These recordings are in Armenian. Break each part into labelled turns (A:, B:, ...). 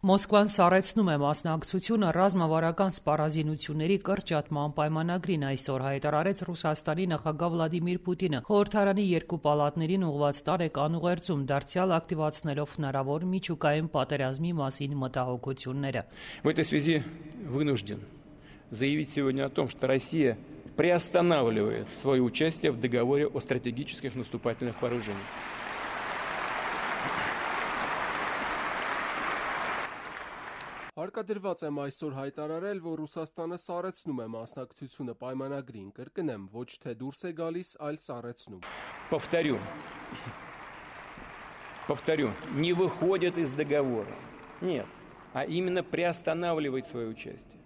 A: Մոսկվան սառեցնում է մասնակցությունը ռազմավարական սպառազինությունների կրճատման պայմանագրին, այսօր հայտարարեց Ռուսաստանի նախագահ Վլադիմիր Պուտինը, խորհրդարանի երկու պալատներին ուղղված տարեկան ուղերձում, դարձյալ ակտիվացնելով հնարավոր միջուկային պատերազմի մասին մտահոգությունները։
B: В этой связи вынужден заявить сегодня о том, что Россия приостанавливает свое участие в договоре о стратегических наступательных вооружениях.
C: Հարկադրված եմ այսօր հայտարարել, որ Ռուսաստանը սառեցնում է մասնակցությունը պայմանագրին, կրկնեմ, ոչ թե դուրս է գալիս, այլ սառեցնում։
B: Повторю, не выходит из договора. Нет, а именно приостанавливает свое участие.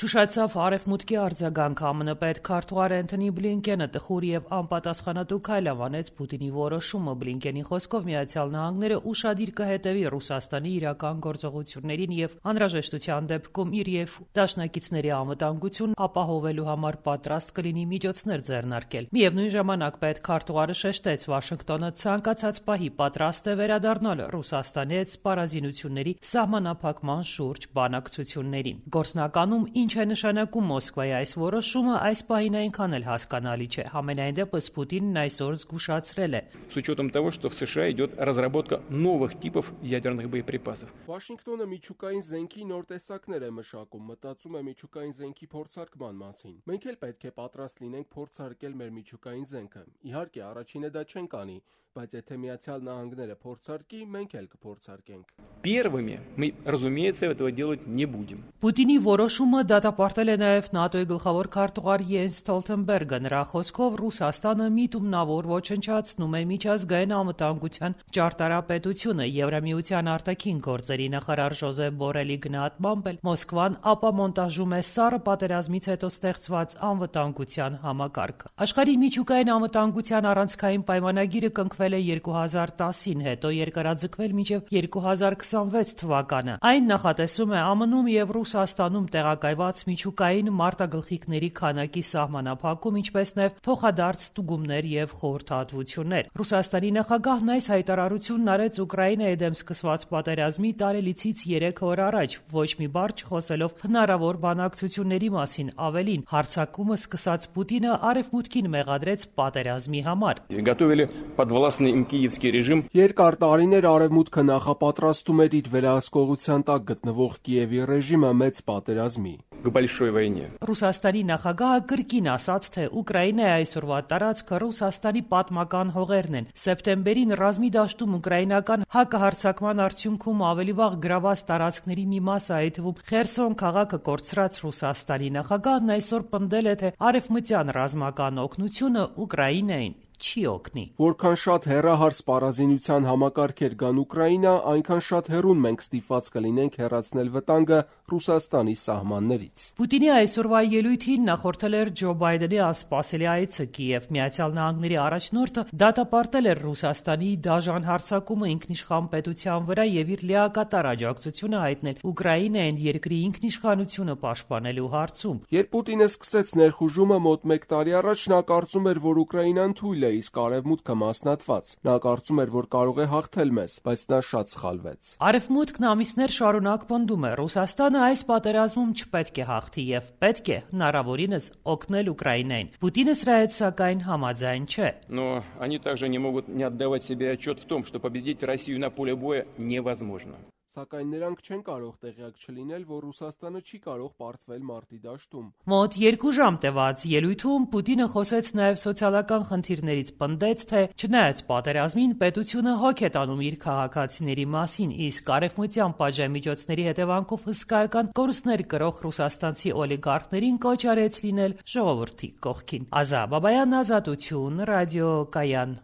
A: Ճուշացավ Արևմուտքի արձագանքը ԱՄՆ պետքարտուղար Էնթոնի Բլինկենը տխուր եւ անպատասխանատու քայլ անվանեց Պուտինի որոշումը։ Բլինկենի խոսքով Միացյալ Նահանգները ուշադիր կհետևի Ռուսաստանի իրական գործողություններին եւ անհրաժեշտության դեպքում իր եւ դաշնակիցների անվտանգությունն ապահովելու համար պատրաստ կլինի միջոցներ ձեռնարկել։ Միևնույն ժամանակ պետքարտուղարը շեշտեց, Վաշինգտոնը ցանկացած պահի պատրաստ է վերադառնալ Ռուսաստանի հետ սպառազինությունների սահմանափակման շուրջ բանակցություններին։ Գործնականում ինչ է նշանակում Մոսկվայի այս որոշումը, այս պահին այնքան էլ հասկանալի չէ։ Համենայն դեպս Պուտինն այսօր զգուշացրել է.
B: С учетом того, что в США идет разработка новых типов ядерных боеприпасов.
C: Վաշինգտոնը միջուկային զենքի նոր տեսակներ է մշակում, մտածում է միջուկային զենքի փորձարկման մասին։ Մենք էլ պետք է պատրաստ լինենք փորձարկել մեր միջուկային զենքը։ Իհարկե, առաջինը դա չենք անի, բայց եթե Միացյալ Նահանգները փորձարկի, մենք էլ կփորձարկենք։
B: Первыми мы, разумеется, этого делать не будем.
A: Պուտինի որոշումը դատապարտել է նաև ՆԱՏՕ-ի գլխավոր քարտուղար Յենս Ստոլտենբերգը։ Նրա խոսքով Ռուսաստանը միտումնավոր ոչնչացնում է միջազգային անվտանգության ճարտարապետությունը։ Եվրամիության արտաքին գործերի նախարար Ժոզեփ Բորելի գնահատմամբ էլ Մոսկվան ապամոնտաժում է սառը պատերազմից հետո ստեղծված անվտանգության համակարգը։ Աշխարհի միջուկային անվտանգության առանցքային պայմանագիրը կնքվել է 2010-ին, հետո երկարաձգվել մինչև 2026 թվականը։ Այն նախատեսում է ԱՄՆ-ում եւ Ռուսաստանում տեղակայված միջուկային մարտագլխիկների քանակի սահմանափակում, ինչպես նաև փոխադարձ ստուգումներ եւ խորհրդատվություններ։ Ռուսաստանի նախագահն այս հայտարարությունն արեց Ուկրաինայի դեմ սկսված պատերազմի տարելիցից 3 օր առաջ, ոչ մի բառ չխոսելով հնարավոր բանակցությունների մասին։ Ավելին, հարձակումը սկսած Պուտինը Արևմուտքին մեղադրեց պատերազմի համար։
B: Готовили подвластный им киевский режим.
C: Երկար տարիներ Արևմուտքը նախապատրաստում էր իր վերահսկողության տակ գտնվող Կիևի ռեժիմը մեծ պատերազմի։
B: К большой войне.
A: Ռուսաստանի նախագահը կրկին ասաց, թե Ուկրաինայի այսօրվա տարածքը Ռուսաստանի պատմական հողերն են։ Սեպտեմբերին ռազմի դաշտում ուկրաինական հակահարձակման արդյունքում ավելի վաղ գրաված տարածքների մի մասը, այդ թվում Խերսոն քաղաքը կորցրած Ռուսաստանի նախագահն այսօր պնդել է, թե արևմտյան ռազմական օգնությունը Ուկրաինային չի օգնի։
C: Որքան շատ հեռահար սպառազինության համակարգեր կան Ուկրաինա, այնքան շատ հեռուն մենք ստիպված կլինենք հեռացնել վտանգը Ռուսաստանի սահմաններից։
A: Պուտինի այսօրվա ելույթին նախորդել էր Ջո Բայդենի անսպասելի այցը Կիև։ Միացյալ Նահանգների առաջնորդը դատապարտել էր Ռուսաստանի դաժան հարձակումը ինքնիշխան պետության վրա եւ իր լիակատար աջակցությունը հայտնել Ուկրաինային երկրի ինքնիշխանությունը պաշտպանելու հարցում։
C: Երբ Պուտինը սկսեց ներխուժումը մոտ 1 տարի առաջ, նա կարծում էր, որ Ուկրաինան թույլ է, իսկ Արևմուտքը մասնատված։ Նա կարծում էր, որ կարող է հաղթել մեզ, բայց նա շատ սխալվեց։
A: Արևմուտքն ամիսներ շարունակ պնդում է, Ռուսաստանը այս պատերազմում չպետք է հաղթի եւ պետք է հնարավորինս օգնել Ուկրաինային։ Պուտինը սրա հետ սակայն համաձայն չէ։
B: Но они также не могут не отдавать себе отчет в том, что победить Россию на поле боя невозможно.
C: Սակայն նրանք չեն կարող տեղյակ չլինել, որ Ռուսաստանը չի կարող պարտվել մարտի դաշտում։
A: Մոտ 2 ժամ տևած ելույթում Պուտինը խոսեց նաև սոցիալական խնդիրներից, պնդեց, թե չնայած պատերազմին պետությունը հոգ է տանում իր քաղաքացիների մասին, իսկ արևմտյան պատժամիջոցների հետևանքով հսկայական կորուստներ կրող ռուսաստանցի օլիգարխներին կոչ արեց լինել ժողովրդի կողքին։ Ազա Բաբայան, Ազատություն, Ռադիո Կայան։